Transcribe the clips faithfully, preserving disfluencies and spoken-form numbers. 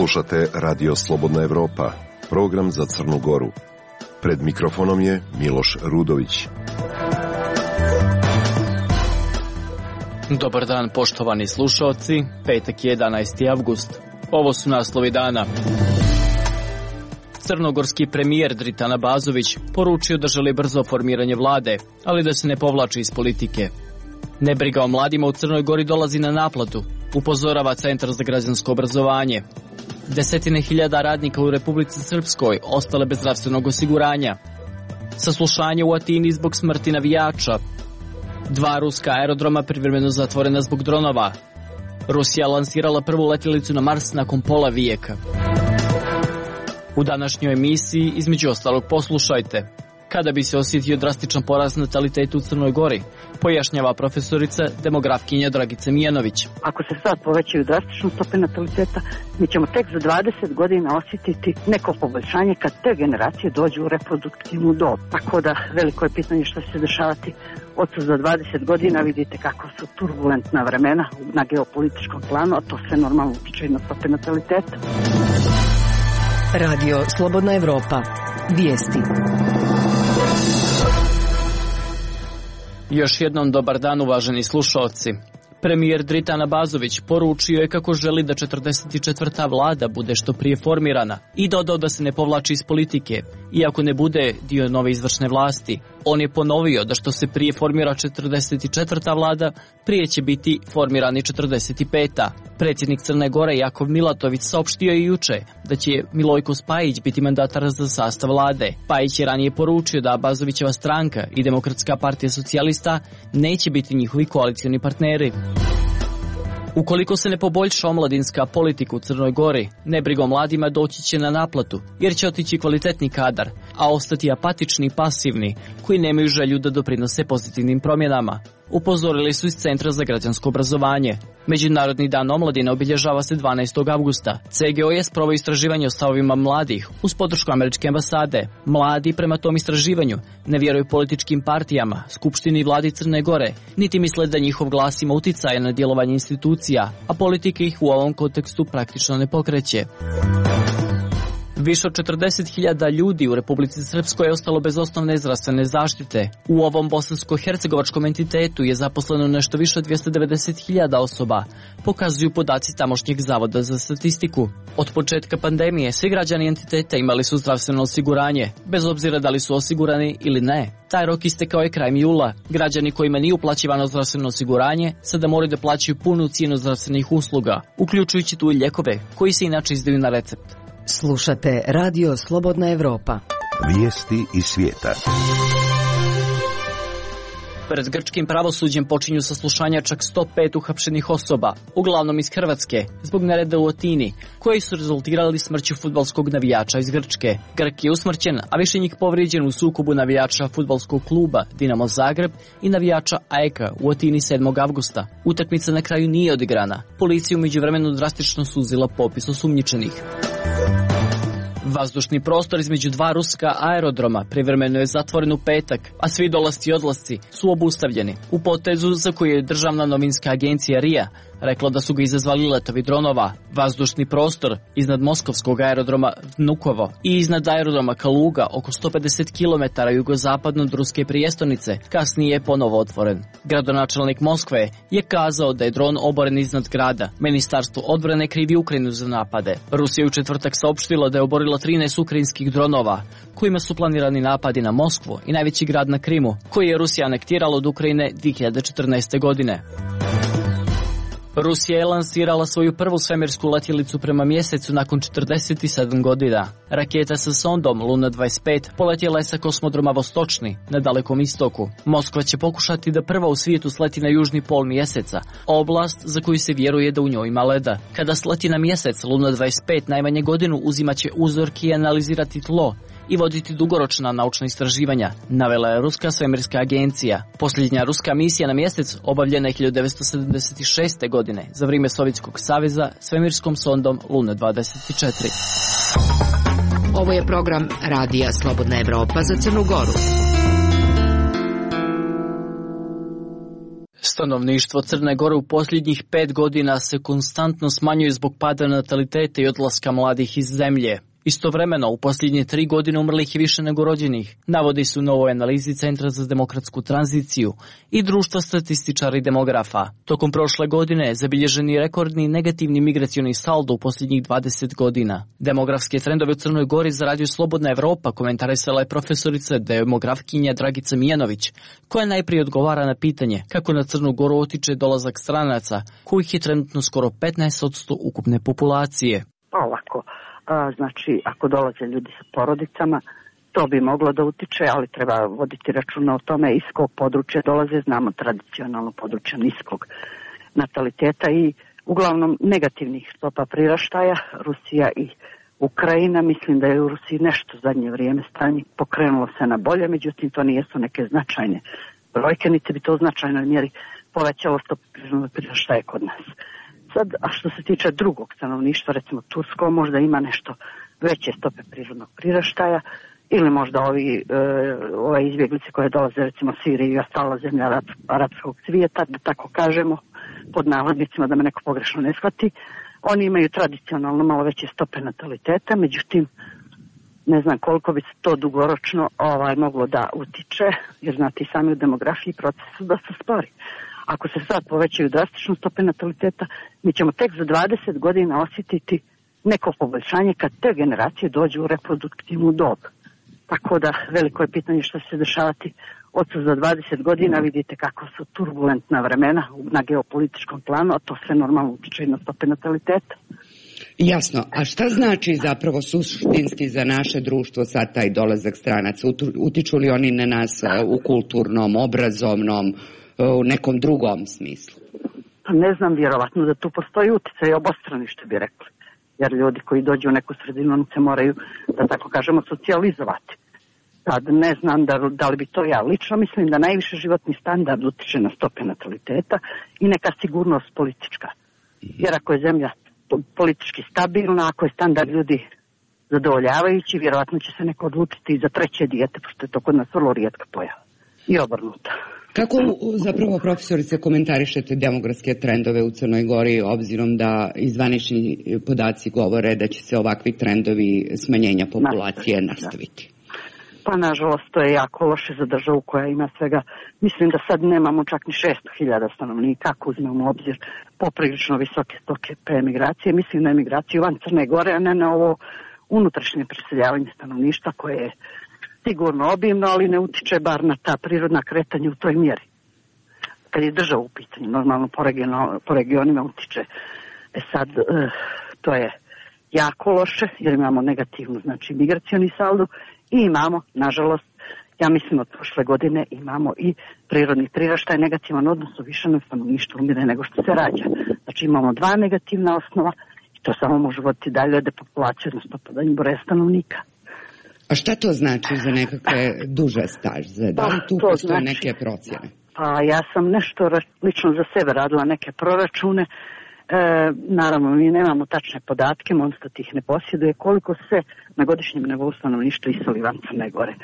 Slušate Radio Slobodna Evropa, program za Crnu Goru. Pred mikrofonom je Miloš Rudović. Dobar dan, poštovani slušalci. Petak je jedanaesti avgust. Ovo su naslovi dana. Crnogorski premijer Dritan Abazović poručio da želi brzo formiranje vlade, ali da se ne povlači iz politike. Nebriga o mladima u Crnoj Gori dolazi na naplatu, upozorava Centar za građansko obrazovanje. Desetine hiljada radnika u Republici Srpskoj ostale bez zdravstvenog osiguranja. Saslušanje u Atini zbog smrti navijača. Dva ruska aerodroma privremeno zatvorena zbog dronova. Rusija lansirala prvu letjelicu na Mars nakon pola vijeka. U današnjoj emisiji, između ostalog, poslušajte. Kada bi se osjetio drastičan porast nataliteta u Crnoj Gori, pojašnjava profesorica demografkinja Dragica Mijanović. Ako se sad povećaju drastično stope nataliteta, mi ćemo tek za dvadeset godina osjetiti neko poboljšanje kad te generacije dođu u reproduktivnu dob. Tako da veliko je pitanje što će se dešavati od za dvadeset godina. Vidite kako su turbulentna vremena na geopolitičkom planu, a to sve normalno utiče i na stope nataliteta. Radio Slobodna Evropa. Vijesti. Još jednom dobar dan, uvaženi slušalci. Premijer Dritan Abazović poručio je kako želi da četrdeset četvrta vlada bude što prije formirana i dodao da se ne povlači iz politike, iako ne bude dio nove izvršne vlasti. On je ponovio da što se prije formira četrdeset četvrta vlada, prije će biti formirani četrdeset peta. Predsjednik Crne Gore Jakov Milatović saopštio je juče da će Milojko Spajić biti mandatar za sastav vlade. Spajić je ranije poručio da Abazovićeva stranka i Demokratska partija socijalista neće biti njihovi koalicioni partneri. Ukoliko se ne poboljša omladinska politika u Crnoj Gori, nebriga o mladima doći će na naplatu, jer će otići kvalitetni kadar, a ostati apatični i pasivni, koji nemaju želju da doprinose pozitivnim promjenama. Upozorili su iz Centra za građansko obrazovanje. Međunarodni dan omladine obilježava se dvanaestog avgusta. C G O je sproveo istraživanje o stavovima mladih uz podršku američke ambasade. Mladi prema tom istraživanju ne vjeruju političkim partijama, skupštini i vladi Crne Gore, niti misle da njihov glas ima uticaja na djelovanje institucija, a politika ih u ovom kontekstu praktično ne pokreće. Više od četrdeset hiljada ljudi u Republici Srpskoj je ostalo bez osnovne zdravstvene zaštite. U ovom bosansko-hercegovačkom entitetu je zaposleno nešto više od dvjesto devedeset hiljada osoba, pokazuju podaci tamošnjeg zavoda za statistiku. Od početka pandemije svi građani entiteta imali su zdravstveno osiguranje, bez obzira da li su osigurani ili ne. Taj rok istekao je krajem jula. Građani kojima nije uplaćivano zdravstveno osiguranje sada moraju da plaćaju punu cijenu zdravstvenih usluga, uključujući tu i lijekove koji se inače izdaju na recept. Slušate Radio Slobodna Evropa. Vijesti iz svijeta. Pred grčkim pravosuđem počinju saslušanja čak sto pet uhapšenih osoba, uglavnom iz Hrvatske, zbog nereda u Atini, koji su rezultirali smrću fudbalskog navijača iz Grčke. Grk je usmrćen, a više njih povrijeđen u sukobu navijača fudbalskog kluba Dinamo Zagreb i navijača A E K-a u Atini sedmog avgusta. Utakmica na kraju nije odigrana. Policija u međuvremenu drastično suzila popis osumnjičenih. Vazdušni prostor između dva ruska aerodroma privremeno je zatvoren u petak, a svi dolasci i odlasci su obustavljeni. U potezu za koju je državna novinska agencija R I A rekla da su ga izazvali letovi dronova. Vazdušni prostor iznad moskovskog aerodroma Vnukovo i iznad aerodroma Kaluga oko sto pedeset kilometara jugozapadno od ruske prijestolnice kasnije je ponovo otvoren. Gradonačelnik Moskve je kazao da je dron oboren iznad grada. Ministarstvo odbrane krivi Ukrajinu za napade. Rusija je u četvrtak saopštila da je oborila trinaest ukrajinskih dronova, kojima su planirani napadi na Moskvu i najveći grad na Krimu, koji je Rusija anektirala od Ukrajine dvije hiljade četrnaeste. godine. Rusija je lansirala svoju prvu svemirsku letjelicu prema mjesecu nakon četrdeset sedam godina. Raketa sa sondom Luna dvadeset pet poletjela je sa kosmodroma Vostočni na Dalekom istoku. Moskva će pokušati da prva u svijetu sleti na južni pol mjeseca, oblast za koju se vjeruje da u njoj ima leda. Kada sleti na mjesec, Luna dvadeset pet najmanje godinu uzimaće uzorke i analizirati tlo i voditi dugoročna naučna istraživanja, navela je Ruska svemirska agencija. Posljednja ruska misija na mjesec obavljena je hiljadu devetsto sedamdeset šeste. godine za vrijeme Sovjetskog saveza svemirskom sondom Luna dvadeset četiri. Ovo je program Radija Slobodna Evropa za Crnu Goru. sto Stanovništvo Crne Gore u posljednjih pet godina se konstantno smanjuje zbog pada nataliteta i odlaska mladih iz zemlje. Istovremeno, u posljednje tri godine umrlih je više nego rođenih, navodi su u novoj analizi Centra za demokratsku tranziciju i Društva statističara i demografa. Tokom prošle godine je zabilježen i rekordni negativni migracioni saldo u posljednjih dvadeset godina. Demografske trendove u Crnoj Gori za Radio Slobodna Evropa komentarisala je profesorica demografkinja Dragica Mijanović, koja najprije odgovara na pitanje kako na Crnu Goru otiče dolazak stranaca, kojih je trenutno skoro petnaest posto ukupne populacije. Ovako. A, znači, ako dolaze ljudi sa porodicama, to bi moglo da utiče, ali treba voditi računa o tome iz kog područja dolaze. Znamo tradicionalno područja niskog nataliteta i uglavnom negativnih stopa priraštaja. Rusija i Ukrajina, mislim da je u Rusiji nešto zadnje vrijeme stanje pokrenulo se na bolje, međutim to nijesu neke značajne brojke, niti bi to u značajnoj mjeri povećalo stopu priraštaja kod nas. Sad, a što se tiče drugog stanovništva, recimo Tursko, možda ima nešto veće stope prirodnog priraštaja ili možda ovi, e, ove izbjeglice koje dolaze recimo Sirije i ostala zemlja arab, arapskog svijeta, da tako kažemo, pod navodnicima, da me neko pogrešno ne shvati. Oni imaju tradicionalno malo veće stope nataliteta, međutim, ne znam koliko bi se to dugoročno ovaj, moglo da utiče, jer znate i sami u demografiji proces su dosta spori. Ako se sad povećaju drastično stope nataliteta, mi ćemo tek za dvadeset godina osjetiti neko poboljšanje kad te generacije dođu u reproduktivnu dob. Tako da veliko je pitanje što će se dešavati od za dvadeset godina. Vidite kako su turbulentna vremena na geopolitičkom planu, a to sve normalno utiče i na stope nataliteta. Jasno. A šta znači zapravo suštinski za naše društvo sad taj dolazak stranaca? Utiču li oni na nas u kulturnom, obrazovnom, u nekom drugom smislu? Ne znam, vjerovatno da tu postoji utjecaj obostrani, što bi rekli. Jer ljudi koji dođu u neku sredinu, oni se moraju, da tako kažemo, socijalizovati. Sad ne znam da, da li bi to ja. Lično mislim da najviše životni standard utiče na stope nataliteta i neka sigurnost politička. Jer ako je zemlja politički stabilna, ako je standard ljudi zadovoljavajući, vjerovatno će se neko odlučiti i za treće dijete, pošto je to kod nas vrlo rijetka pojava. I obrnuto. Kako zapravo, profesorice, komentarišete demografske trendove u Crnoj Gori, obzirom da zvanični podaci govore da će se ovakvi trendovi smanjenja populacije nastaviti? Pa nažalost to je jako loše za državu koja ima svega, mislim da sad nemamo čak ni šesto hiljada stanovnika, ako uzmemo u obzir poprilično visoke stope emigracije. Mislim na emigraciju van Crne Gore, a ne na ovo unutrašnje preseljavanje stanovništva koje je sigurno obimno, ali ne utiče bar na ta prirodna kretanja u toj mjeri. Kad je država u pitanju, normalno po, region, po regionima utiče. E sad, e, to je jako loše, jer imamo negativnu, znači, migracioni saldo i imamo, nažalost, ja mislim od prošle godine imamo i prirodni priraštaj negativan odnos u više na stanovništvu umire nego što se rađa. Znači imamo dva negativna osnova i to samo može voditi dalje od depopulacije, odnosno podanju broja stanovnika. A šta to znači za nekakve duže staže? Da li tu postoje znači, neke procjene? Pa ja sam nešto lično za sebe radila neke proračune. E, naravno, mi nemamo tačne podatke, Monstat ih ne posjeduje, koliko se na godišnjem nivou stanovništva iseli van Crne Gore.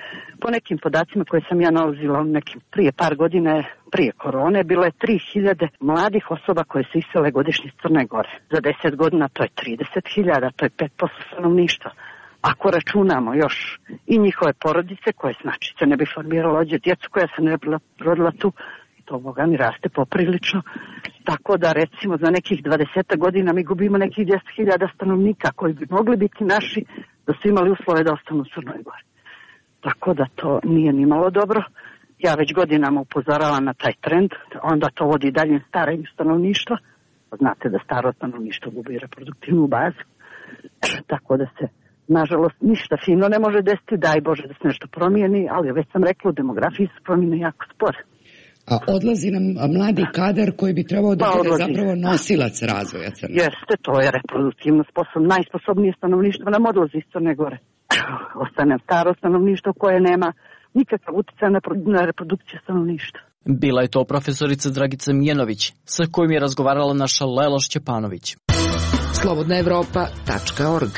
Po nekim podacima koje sam ja nalazila nekim prije par godine, prije korone, bilo je tri hiljade mladih osoba koje se isele godišnje iz Crne Gore. Za deset godina to je trideset hiljada, to je pet posto stanovništva. Ako računamo još i njihove porodice koje znači se ne bi formiralo ođe djecu koja se ne bi rodila tu, to Boga mi raste poprilično. Tako da recimo za nekih dvadeset godina mi gubimo nekih deset hiljada stanovnika koji bi mogli biti naši da su imali uslove da ostanu u Crnoj Gori. Tako da to nije ni malo dobro. Ja već godinama upozoravam na taj trend, onda to vodi dalje starenju stanovništva. Znate da staro stanovništvo gubi reproduktivnu bazu. Tako da se nažalost ništa fino ne može desiti, daj Bože da se nešto promijeni, ali već sam rekla u demografiji se promijene jako spore. A odlazi nam mladi kadar koji bi trebao da bude zapravo nosilac razvoja Crne Gore. Jeste, to je reproduktivno sposobno, najsposobnije stanovništvo nam odlazi iz Crne Gore. Ostane staro stanovništvo koje nema nikakav utjecaj na, na reprodukciju stanovništva. Bila je to profesorica Dragica Mijanović, sa kojim je razgovarala naša Lela Šćepanović. slobodna evropa tačka org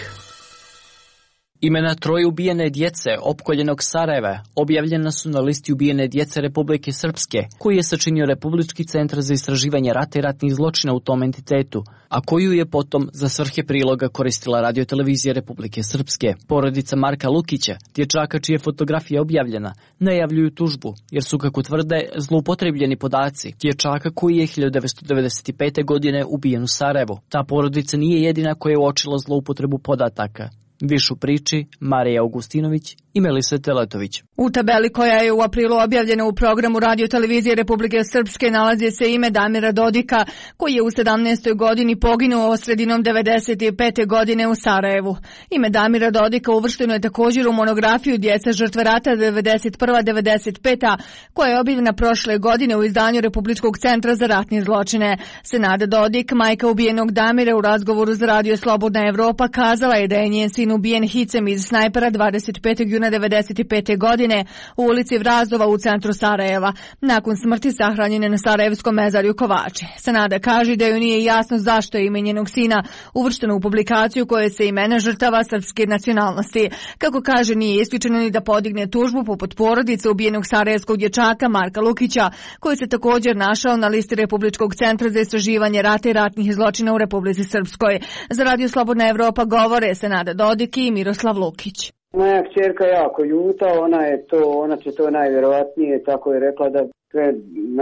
Imena troje ubijene djece opkoljenog Sarajeva objavljena su na listi ubijene djece Republike Srpske, koji je sačinio Republički centar za istraživanje rata i ratnih zločina u tom entitetu, a koju je potom za svrhe priloga koristila radiotelevizija Republike Srpske. Porodica Marka Lukića, dječaka čija je fotografija objavljena, najavljuju tužbu, jer su, kako tvrde, zloupotrebljeni podaci dječaka koji je hiljadu devetsto devedeset pete. godine ubijen u Sarajevu. Ta porodica nije jedina koja je uočila zloupotrebu podataka. Više u priči Marija Augustinović i Melisa Teletović. U tabeli koja je u aprilu objavljena u programu radiotelevizije Republike Srpske nalazi se ime Damira Dodika, koji je u sedamnaestoj godini poginuo sredinom devedeset pete. godine u Sarajevu. Ime Damira Dodika uvršteno je također u monografiju Djeca žrtve rata devedeset prva do devedeset peta. koja je objavljena prošle godine u izdanju Republičkog centra za ratne zločine. Senada Dodik, majka ubijenog Damira, u razgovoru za Radio Slobodna Evropa kazala je da je njen sin ubijen hicem iz snajpera dvadeset petog juna devedeset pete. godine u ulici Vrazova u centru Sarajeva. Nakon smrti sahranjen je na Sarajevskom mezarju Kovači. Senada kaže da joj nije jasno zašto je ime njenog sina uvršteno u publikaciju koje se imena žrtava srpske nacionalnosti. Kako kaže, nije isključeno ni da podigne tužbu poput porodice ubijenog sarajevskog dječaka Marka Lukića, koji se također našao na listi Republičkog centra za istraživanje rata i ratnih zločina u Republici Srpskoj. Za Radio Slobodna Evropa govore Senada Dodik i Miroslav Lukić. Moja kćerka jako ljuta, ona je to, ona će to najvjerovatnije, tako je rekla, da sve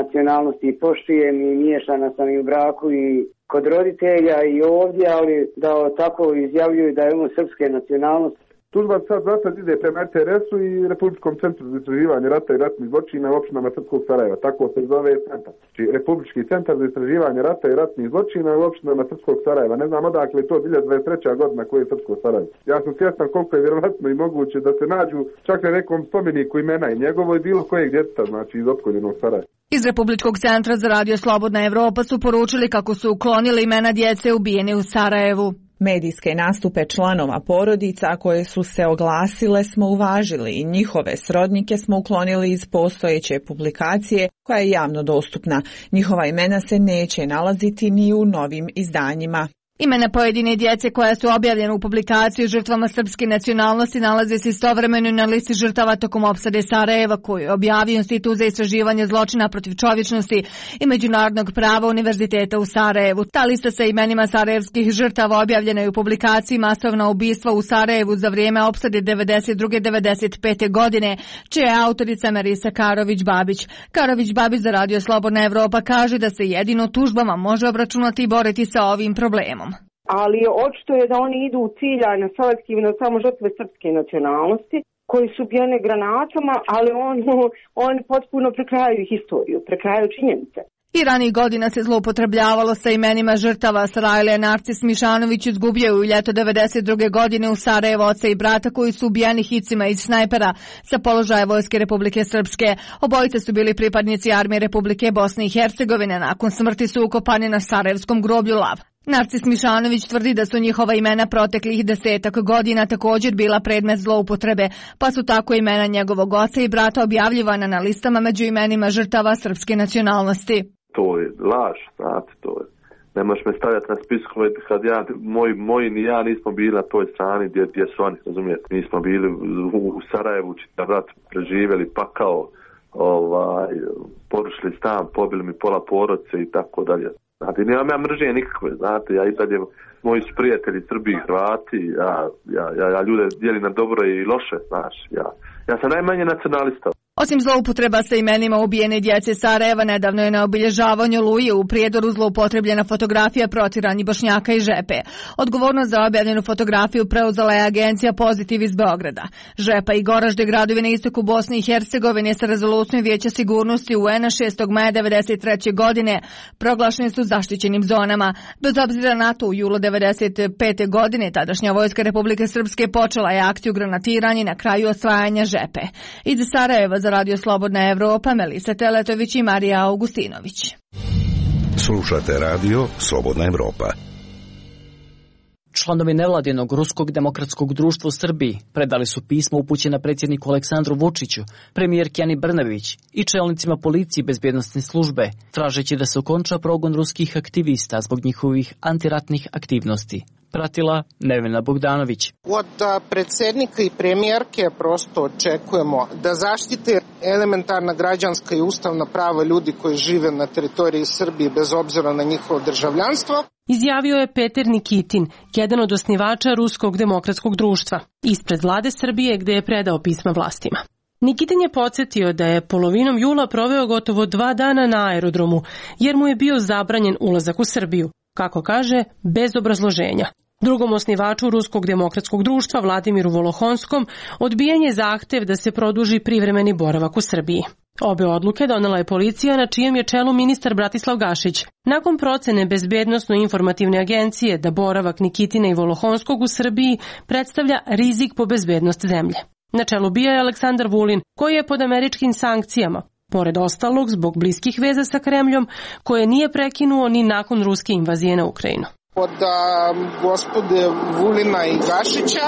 nacionalnosti poštujem i miješana sam i u braku i kod roditelja i ovdje, ali da tako izjavljuju da je on srpske nacionalnosti. Tužba sad zasad ide prema R T R S-u i Republičkom centru za istraživanje rata i ratnih zločina u opštinama Srpskog Sarajeva. Tako se zove centar. Znači, Republički centar za istraživanje rata i ratnih zločina u opštinama Srpskog Sarajeva. Ne znam odakle je to hiljadu devetsto dvadeset treća. godina koji je Srpsko Sarajevo. Ja sam svjestan koliko je vjerovatno i moguće da se nađu čak na nekom spomeniku imena i njegovo i bilo kojeg djeteta, znači iz opkoljenog Sarajeva. Iz Republičkog centra za Radio Slobodna Evropa su poručili kako su uklonili imena djece ubijene u Sarajevu. Medijske nastupe članova porodica koje su se oglasile smo uvažili i njihove srodnike smo uklonili iz postojeće publikacije koja je javno dostupna. Njihova imena se neće nalaziti ni u novim izdanjima. Imena pojedine djece koja su objavljene u publikaciji žrtvama srpske nacionalnosti nalaze se istovremeno na listi žrtava tokom opsade Sarajeva, koju je objavio Institut za istraživanje zločina protiv čovječnosti i međunarodnog prava Univerziteta u Sarajevu. Ta lista sa imenima sarajevskih žrtava objavljena je u publikaciji Masovna ubistva u Sarajevu za vrijeme opsade devedeset druge do devedeset pete. godine, čija je autorica Marisa Karović-Babić. Karović-Babić za Radio Slobodna Evropa kaže da se jedino tužbama može obračunati i boriti sa ovim problemom. Ali očito je da oni idu ciljano selektivno samo žrtve srpske nacionalnosti koji su ubijene granatama, ali oni, oni potpuno prekrajaju historiju, prekrajaju činjenice. I ranih godina se zloupotrebljavalo sa imenima žrtava. Sarajlija Narcis Mišanović izgubio je u ljeto devedeset druge. godine u Sarajevo oca i brata koji su ubijeni hicima iz snajpera sa položaja Vojske Republike Srpske. Obojice su bili pripadnici Armije Republike Bosne i Hercegovine. Nakon smrti su ukopani na sarajevskom groblju Lav. Narcis Mišanović tvrdi da su njihova imena proteklih desetak godina također bila predmet zloupotrebe, pa su tako imena njegovog oca i brata objavljivana na listama među imenima žrtava srpske nacionalnosti. To je laž, znate, to je. Ne možeš me stavljati na spiskove kad ja, moj, moji ni ja nismo bili na toj strani gdje, gdje su oni, razumijete. Mi smo bili u, u Sarajevu, čitav rat preživjeli, pakao, ovaj, porušili stan, pobili mi pola porodice i tako dalje. Znate, nemam ja mržnje nikakve, znate, ja i dalje, moji su prijatelji Srbi i Hrvati, ja, ja, ja, ja ljude dijelim na dobro i loše, znaš, ja, ja sam najmanje nacionalista. Osim zloupotreba sa imenima ubijene djece Sarajeva, nedavno je na obilježavanju Oluje u Prijedoru zloupotrebljena fotografija protjeranih Bošnjaka i Žepe. Odgovornost za objavljenu fotografiju preuzela je agencija Pozitiv iz Beograda. Žepa i Goražde, gradovi na istoku Bosne i Hercegovine, sa rezolucijom Vijeća sigurnosti U N-a šestog maja devedeset treće. godine proglašeni su zaštićenim zonama. Bez obzira na to, u julu devedeset pete. godine tadašnja Vojska Republike Srpske počela je akciju granatiranja na kraju osvajanja Žepe. Iz Sarajeva za Radio Slobodna Evropa, Melisa Teletović i Marija Augustinović. Slušate Radio Slobodna Evropa. Članovi nevladinog Ruskog demokratskog društva u Srbiji predali su pismo upućeno predsjedniku Aleksandru Vučiću, premijerki Ani Brnabić i čelnicima policije i bezbjednosne službe, tražeći da se okonča progon ruskih aktivista zbog njihovih antiratnih aktivnosti. Pratila Nevena Bogdanović. Od predsjednika i premijerke prosto očekujemo da zaštite elementarna građanska i ustavna prava ljudi koji žive na teritoriji Srbije bez obzira na njihovo državljanstvo. Izjavio je Peter Nikitin, jedan od osnivača Ruskog demokratskog društva, ispred vlade Srbije gde je predao pisma vlastima. Nikitin je podsjetio da je polovinom jula proveo gotovo dva dana na aerodromu, jer mu je bio zabranjen ulazak u Srbiju, kako kaže, bez obrazloženja. Drugom osnivaču Ruskog demokratskog društva, Vladimiru Volohonskom, odbijen je zahtev da se produži privremeni boravak u Srbiji. Obe odluke donela je policija na čijem je čelu ministar Bratislav Gašić, nakon procene Bezbednosno-informativne agencije da boravak Nikitina i Volohonskog u Srbiji predstavlja rizik po bezbednost zemlje. Na čelu bija je Aleksandar Vulin, koji je pod američkim sankcijama, pored ostalog zbog bliskih veza sa Kremljom, koje nije prekinuo ni nakon ruske invazije na Ukrajinu. Od a, gospode Vulina i Gašića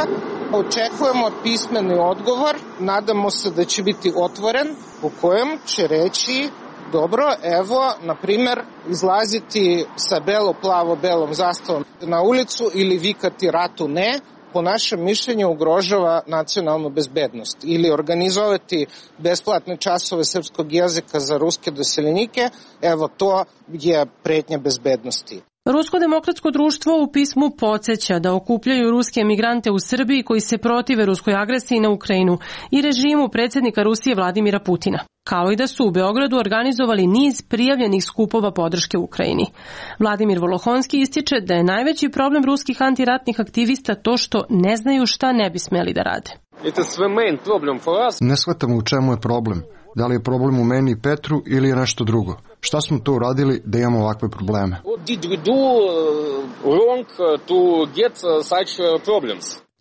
očekujemo pismeni odgovor, nadamo se da će biti otvoren, u kojem će reći dobro, evo, na primjer, izlaziti sa belo-plavo-belom zastavom na ulicu ili vikati ratu ne, po našem mišljenju ugrožava nacionalnu bezbednost, ili organizovati besplatne časove srpskog jezika za ruske doseljenike, evo to je pretnja bezbednosti. Rusko demokratsko društvo u pismu podsjeća da okupljaju ruske emigrante u Srbiji koji se protive ruskoj agresiji na Ukrajinu i režimu predsjednika Rusije Vladimira Putina, kao i da su u Beogradu organizovali niz prijavljenih skupova podrške Ukrajini. Vladimir Volohonski ističe da je najveći problem ruskih antiratnih aktivista to što ne znaju šta ne bi smeli da rade. Ne shvatamo u čemu je problem. Da li je problem u meni i Petru ili je nešto drugo? Šta smo to uradili da imamo ovakve probleme?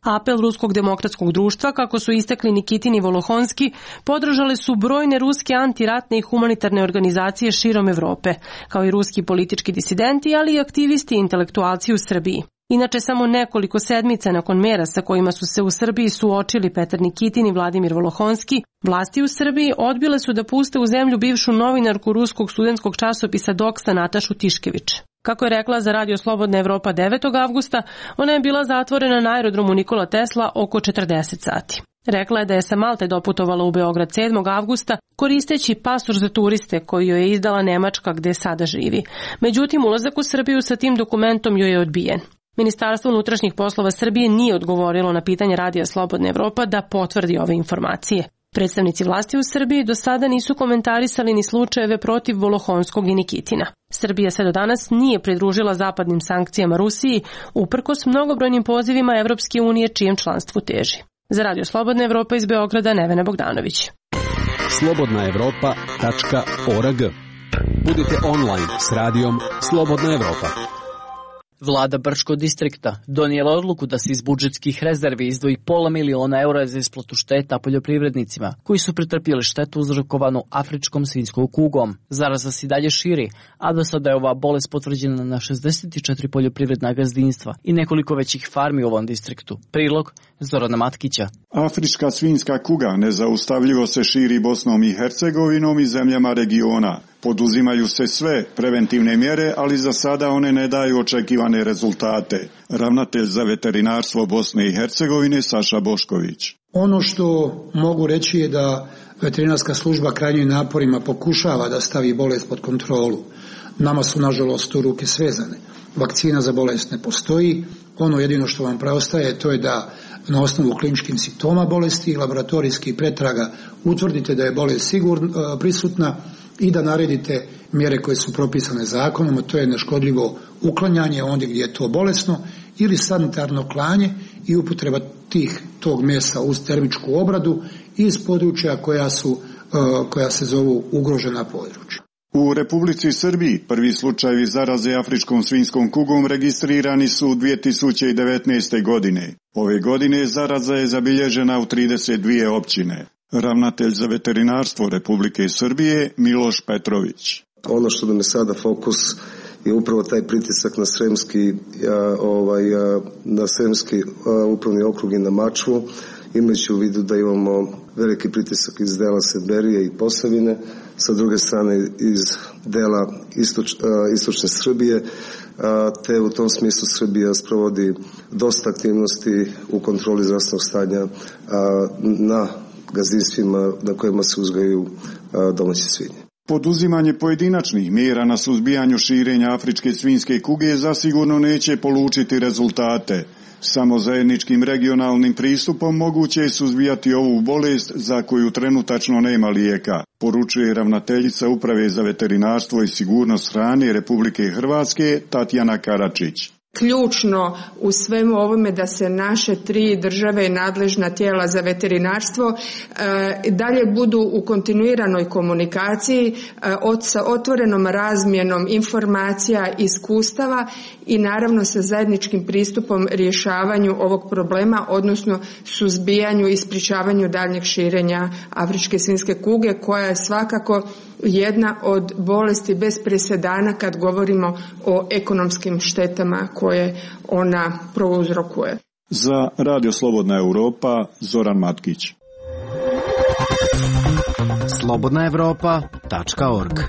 Apel Ruskog demokratskog društva, kako su istakli Nikitin i Volohonski, podržale su brojne ruske antiratne i humanitarne organizacije širom Evrope, kao i ruski politički disidenti, ali i aktivisti i intelektualci u Srbiji. Inače, samo nekoliko sedmica nakon mera sa kojima su se u Srbiji suočili Petar Nikitin i Vladimir Volohonski, vlasti u Srbiji odbile su da puste u zemlju bivšu novinarku ruskog studentskog časopisa Doksa Natašu Tiškević. Kako je rekla za Radio Slobodna Evropa devetog avgusta, ona je bila zatvorena na aerodromu Nikola Tesla oko četrdeset sati. Rekla je da je sa Malte doputovala u Beograd sedmog avgusta koristeći pasoš za turiste koji joj je izdala Nemačka gde sada živi. Međutim, ulazak u Srbiju sa tim dokumentom joj je odbijen. Ministarstvo unutrašnjih poslova Srbije nije odgovorilo na pitanje Radija Slobodna Evropa da potvrdi ove informacije. Predstavnici vlasti u Srbiji do sada nisu komentarisali ni slučajeve protiv Volohonskog i Nikitina. Srbija se do danas nije pridružila zapadnim sankcijama Rusiji, uprkos mnogobrojnim pozivima Evropske unije čijem članstvu teži. Za Radio Slobodna Evropa iz Beograda, Nevena Bogdanović. slobodna evropa tačka org. Budite online s radijom Slobodna Evropa. Vlada Brčkog distrikta donijela odluku da se iz budžetskih rezervi izdvoji pola miliona eura za isplatu šteta poljoprivrednicima koji su pretrpjeli štetu uzrokovanu afričkom svinjskom kugom. Zaraza se dalje širi, a do sada je ova bolest potvrđena na šezdeset četiri poljoprivredna gazdinstva i nekoliko većih farmi u ovom distriktu. Prilog Zorana Matkića. Afrička svinjska kuga nezaustavljivo se širi Bosnom i Hercegovinom i zemljama regiona. Poduzimaju se sve preventivne mjere, ali za sada one ne daju očekivane rezultate. Ravnatelj za veterinarstvo Bosne i Hercegovine Saša Bošković. Ono što mogu reći je da veterinarska služba krajnjim naporima pokušava da stavi bolest pod kontrolu. Nama su nažalost tu ruke svezane. Vakcina za bolest ne postoji. Ono jedino što vam preostaje to je da na osnovu kliničkih simptoma bolesti i laboratorijskih pretraga utvrdite da je bolest sigurno prisutna i da naredite mjere koje su propisane zakonom, a to je neškodljivo uklanjanje ondje gdje je to bolesno ili sanitarno klanje i upotreba tih tog mesa uz termičku obradu iz područja koja su koja se zovu ugrožena područja. U Republici Srbiji prvi slučajevi zaraze afričkom svinjskom kugom registrirani su u dvije tisuće devetnaeste. godine. Ove godine zaraza je zabilježena u trideset dvije općine. Ravnatelj za veterinarstvo Republike Srbije Miloš Petrović. Ono što nam je sada fokus je upravo taj pritisak na Sremski, ovaj, na Sremski upravni okrug i na Mačvu imajući u vidu da imamo veliki pritisak iz dela Sedberije i Posavine, sa druge strane iz dela istoč, istočne Srbije, te u tom smislu Srbija sprovodi dosta aktivnosti u kontroli zdravstvenog stanja na gazdinstvima na kojima se uzgajaju domaće svinje. Poduzimanje pojedinačnih mjera na suzbijanju širenja afričke svinjske kuge zasigurno neće polučiti rezultate. Samo zajedničkim regionalnim pristupom moguće je suzbijati ovu bolest za koju trenutačno nema lijeka, poručuje ravnateljica Uprave za veterinarstvo i sigurnost hrane Republike Hrvatske Tatjana Karačić. Ključno u svemu ovome da se naše tri države i nadležna tijela za veterinarstvo e, dalje budu u kontinuiranoj komunikaciji e, od, sa otvorenom razmjenom informacija, iskustava i naravno sa zajedničkim pristupom rješavanju ovog problema, odnosno suzbijanju i sprječavanju daljnjeg širenja afričke svinjske kuge, koja je svakako jedna od bolesti bez presedana kad govorimo o ekonomskim štetama koje ona prouzrokuje. Za Radio Slobodna Europa, Zoran Matkić. slobodna evropa tačka org.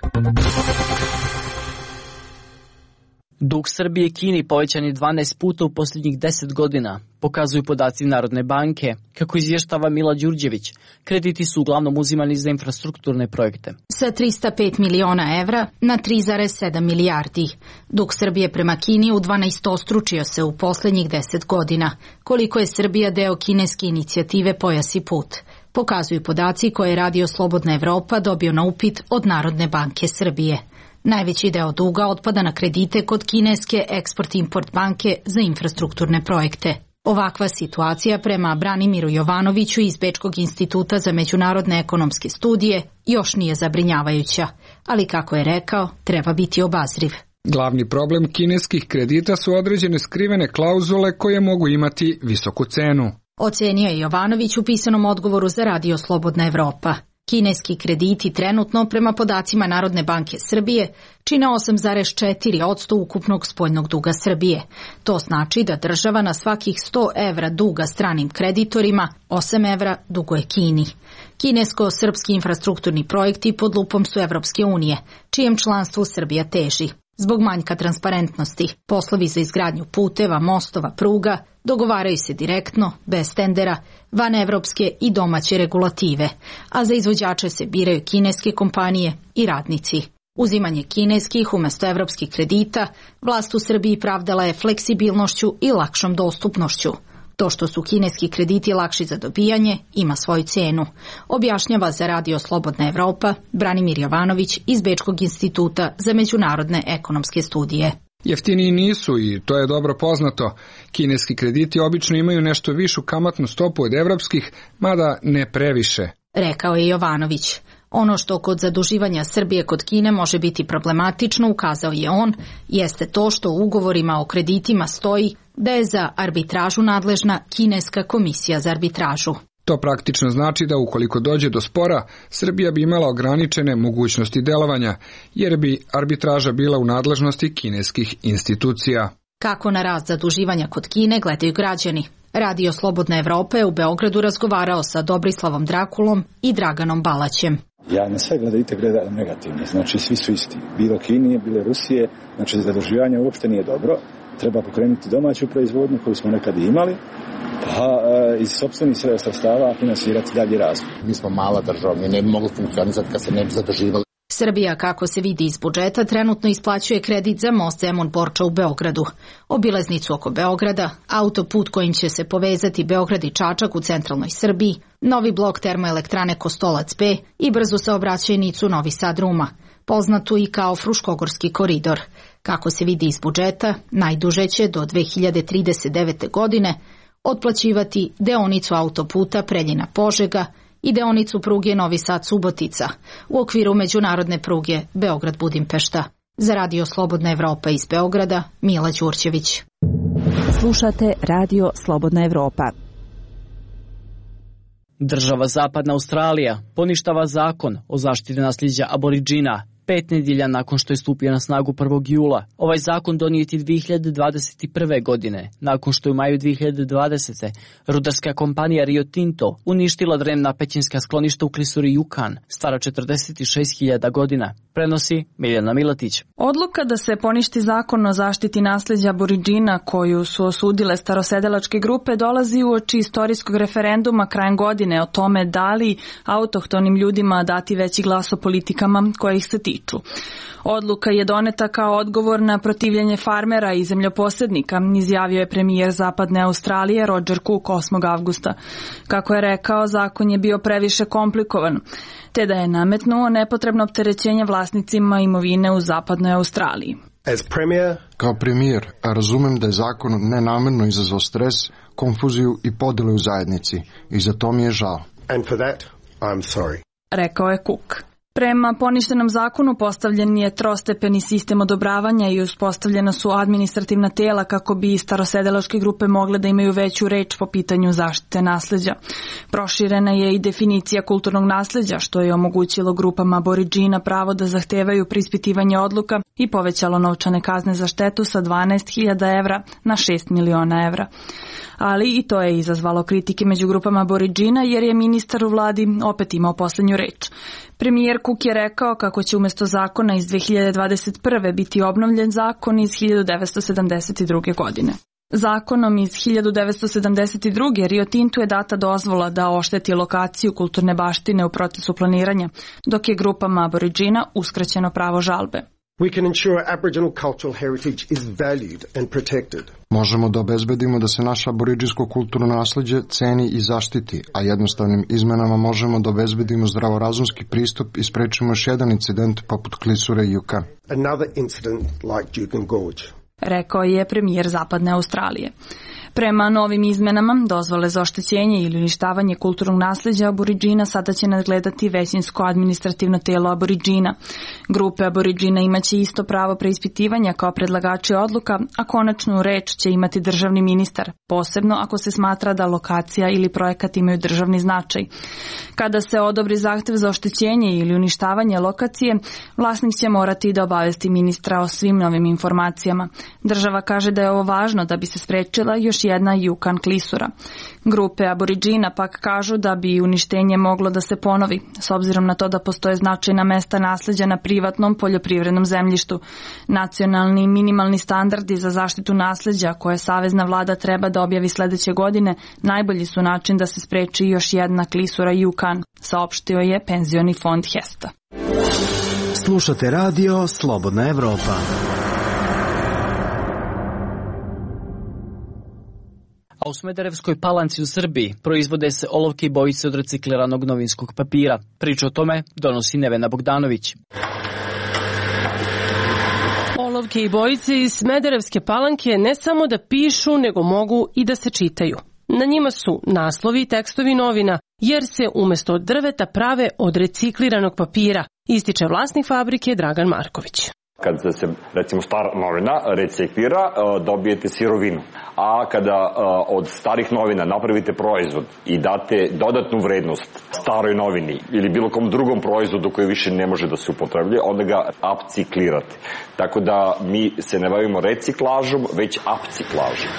Dug Srbije Kini povećan je dvanaest puta u posljednjih deset godina, pokazuju podaci Narodne banke. Kako izvještava Mila Đurđević, krediti su uglavnom uzimani za infrastrukturne projekte. Sa trista pet miliona evra na tri zarez sedam milijardi. Dug Srbije prema Kini udvanaestostručio se u posljednjih deset godina. Koliko je Srbija deo kineske inicijative Pojas i put, pokazuju podaci koje je Radio Slobodna Evropa dobio na upit od Narodne banke Srbije. Najveći deo duga otpada na kredite kod kineske Eksport-Import banke za infrastrukturne projekte. Ovakva situacija prema Branimiru Jovanoviću iz Bečkog instituta za međunarodne ekonomske studije još nije zabrinjavajuća, ali kako je rekao, treba biti obazriv. Glavni problem kineskih kredita su određene skrivene klauzule koje mogu imati visoku cenu. Ocenio je Jovanović u pisanom odgovoru za Radio Slobodna Evropa. Kineski krediti trenutno, prema podacima Narodne banke Srbije, čine osam zarez četiri posto ukupnog spoljnog duga Srbije. To znači da država na svakih sto evra duga stranim kreditorima, osam evra duguje Kini. Kinesko-srpski infrastrukturni projekti pod lupom su Evropske unije, čijem članstvu Srbija teži. Zbog manjka transparentnosti, poslovi za izgradnju puteva, mostova, pruga dogovaraju se direktno, bez tendera, van evropske i domaće regulative, a za izvođače se biraju kineske kompanije i radnici. Uzimanje kineskih umjesto evropskih kredita vlast u Srbiji pravdala je fleksibilnošću i lakšom dostupnošću. To što su kineski krediti lakši za dobijanje ima svoju cijenu, objašnjava za Radio Slobodna Evropa Branimir Jovanović iz Bečkog instituta za međunarodne ekonomske studije. Jeftiniji nisu i to je dobro poznato. Kineski krediti obično imaju nešto višu kamatnu stopu od evropskih, mada ne previše, rekao je Jovanović. Ono što kod zaduživanja Srbije kod Kine može biti problematično, ukazao je on, jeste to što u ugovorima o kreditima stoji da je za arbitražu nadležna Kineska komisija za arbitražu. To praktično znači da ukoliko dođe do spora, Srbija bi imala ograničene mogućnosti delovanja, jer bi arbitraža bila u nadležnosti kineskih institucija. Kako na rast zaduživanja kod Kine gledaju građani? Radio Slobodna Evropa je u Beogradu razgovarao sa Dobrislavom Drakulom i Draganom Balaćem. Ja na sve gledajte gledam negativno, znači svi su isti. Bilo Kinije, bilo Rusije, znači zaduživanje uopšte nije dobro. Treba pokrenuti domaću proizvodnju koju smo nekad imali, pa iz sopstvenih sredstava finansirati dalje razvoj. Mi smo mala država, mi ne bi mogli funkcionisati kad se ne bi zaduživali. Srbija, kako se vidi iz budžeta, trenutno isplaćuje kredit za most Zemun-Borča u Beogradu, obilaznicu oko Beograda, autoput kojim će se povezati Beograd i Čačak u centralnoj Srbiji, novi blok termoelektrane Kostolac B i brzu saobraćajnicu Novi Sad-Ruma, poznatu i kao Fruškogorski koridor. Kako se vidi iz budžeta, najduže će do dve hiljade trideset devete. godine otplaćivati deonicu autoputa Preljina-Požega i deonicu pruge Novi Sad-Subotica u okviru međunarodne pruge Beograd-Budimpešta. Za Radio Slobodna Evropa iz Beograda, Mila Đurđević. Slušate Radio Slobodna Evropa. Država Zapadna Australija poništava zakon o zaštiti nasljeđa aboriđina pet nedjelja nakon što je stupio na snagu prvog jula. Ovaj zakon donijet je dvije hiljade dvadeset prve. godine, nakon što je u maju dvije hiljade dvadesete. rudarska kompanija Rio Tinto uništila drevna pećinska skloništa u klisuri Jukan, stara četrdeset šest hiljada godina. Prenosi Miljana Milatić. Odluka da se poništi zakon o zaštiti nasljeđa Aboridžina koju su osudile starosedelačke grupe dolazi uoči istorijskog referenduma krajem godine o tome da li autohtonim ljudima dati veći glas o politikama koje ih se tiču. Odluka je doneta kao odgovor na protivljenje farmera i zemljoposjednika, izjavio je premijer Zapadne Australije Roger Cook osmog avgusta. Kako je rekao, zakon je bio previše komplikovan, te da je nametnuo nepotrebno opterećenje vlasnicima imovine u Zapadnoj Australiji. Kao premijer, razumem da je zakon nenamjerno izazvao stres, konfuziju i podjele u zajednici i za to mi je žao. And for that, I'm sorry. Rekao je Cook. Prema poništenom zakonu postavljen je trostepeni sistem odobravanja i uspostavljena su administrativna tijela kako bi starosedelačke grupe mogle da imaju veću reč po pitanju zaštite nasljeđa. Proširena je i definicija kulturnog nasljeđa, što je omogućilo grupama Aboridžina pravo da zahtevaju preispitivanje odluka i povećalo novčane kazne za štetu sa dvanaest hiljada evra na šest miliona evra. Ali i to je izazvalo kritike među grupama Aboridžina jer je ministar u vladi opet imao posljednju reč. Premijer Cook je rekao kako će umjesto zakona iz dvije hiljade dvadeset prve. biti obnovljen zakon iz hiljadu devetsto sedamdeset druge. godine. Zakonom iz hiljadu devetsto sedamdeset druge. Rio Tintu je data dozvola da ošteti lokaciju kulturne baštine u procesu planiranja, dok je grupama Aboridžina uskraćeno pravo žalbe. We can ensure Aboriginal cultural heritage is valued and protected. Možemo da obezbedimo da se naše aboridžinsko kulturno nasljeđe ceni i zaštiti, a jednostavnim izmenama možemo da obezbedimo zdravorazumski pristup i sprečimo još jedan incident poput klisure Jukan. Another incident like Juukan Gorge. Rekao je premijer Zapadne Australije. Prema novim izmenama, dozvole za oštećenje ili uništavanje kulturnog nasljeđa Aboridžina sada će nadgledati većinsko administrativno tijelo Aboridžina. Grupe Aboridžina imaće isto pravo preispitivanja kao predlagači odluka, a konačnu reč će imati državni ministar, posebno ako se smatra da lokacija ili projekat imaju državni značaj. Kada se odobri zahtev za oštećenje ili uništavanje lokacije, vlasnik će morati da obavesti ministra o svim novim informacijama. Država kaže da je ovo važno da bi se sprečila još jedna Jukan klisura. Grupe Aboridžina pak kažu da bi uništenje moglo da se ponovi, s obzirom na to da postoje značajna mesta nasljeđa na privatnom poljoprivrednom zemljištu. Nacionalni minimalni standardi za zaštitu nasljeđa koje savezna vlada treba da objavi sljedeće godine najbolji su način da se spreči još jedna klisura Jukan, saopštio je penzioni fond Hesta. Slušate radio Slobodna Evropa. A u Smederevskoj Palanci u Srbiji proizvode se olovke i bojice od recikliranog novinskog papira. Priču o tome donosi Nevena Bogdanović. Olovke i bojice iz Smederevske Palanke ne samo da pišu, nego mogu i da se čitaju. Na njima su naslovi i tekstovi novina, jer se umjesto od drveta prave od recikliranog papira, ističe vlasnik fabrike Dragan Marković. Kad se, recimo, stara novina reciklira, dobijete sirovinu. A kada od starih novina napravite proizvod i date dodatnu vrednost staroj novini ili bilo kom drugom proizvodu koji više ne može da se upotrebljuje, onda ga upciklirate. Tako da mi se ne bavimo reciklažom, već upciklažom.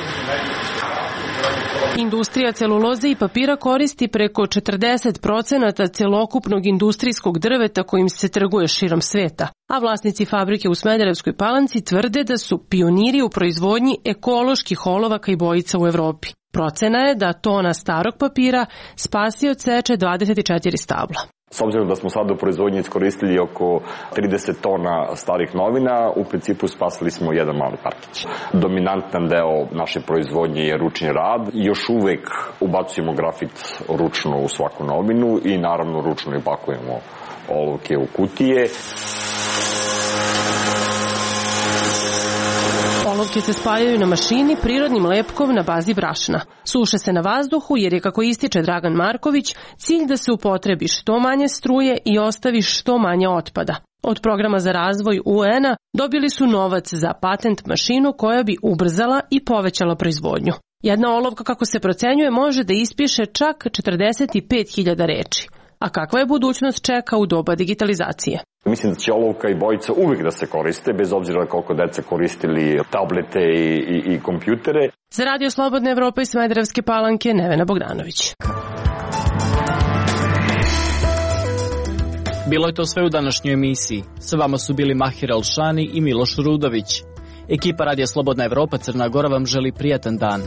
Industrija celuloze i papira koristi preko četrdeset procenata celokupnog industrijskog drveta kojim se trguje širom sveta, a vlasnici fabrike u Smederevskoj Palanci tvrde da su pioniri u proizvodnji ekoloških olovaka i bojica u Evropi. Procena je da tona starog papira spasi od seče dvadeset četiri stabla. S obzirom da smo sad u proizvodnji iskoristili oko trideset tona starih novina, u principu spasili smo jedan mali parkić. Dominantan deo naše proizvodnje je ručni rad. Još uvek ubacujemo grafit ručno u svaku novinu i naravno ručno i pakujemo olovke u kutije. Olovke se spajaju na mašini prirodnim lepkom na bazi brašna. Suše se na vazduhu jer je, kako ističe Dragan Marković, cilj da se upotrebi što manje struje i ostavi što manje otpada. Od programa za razvoj U N A dobili su novac za patent mašinu koja bi ubrzala i povećala proizvodnju. Jedna olovka, kako se procenjuje, može da ispiše čak četrdeset pet hiljada reči. A kakva je budućnost čeka u doba digitalizacije? Mislim da će olovka i bojica uvijek da se koriste, bez obzira koliko deca koristili tablete i, i, i kompjutere. Za Radio Slobodna Evropa iz Smederevske Palanke, Nevena Bogdanović. Bilo je to sve u današnjoj emisiji. Sa vama su bili Mahir Alšani i Miloš Rudović. Ekipa Radija Slobodna Evropa Crna Gora vam želi prijatan dan.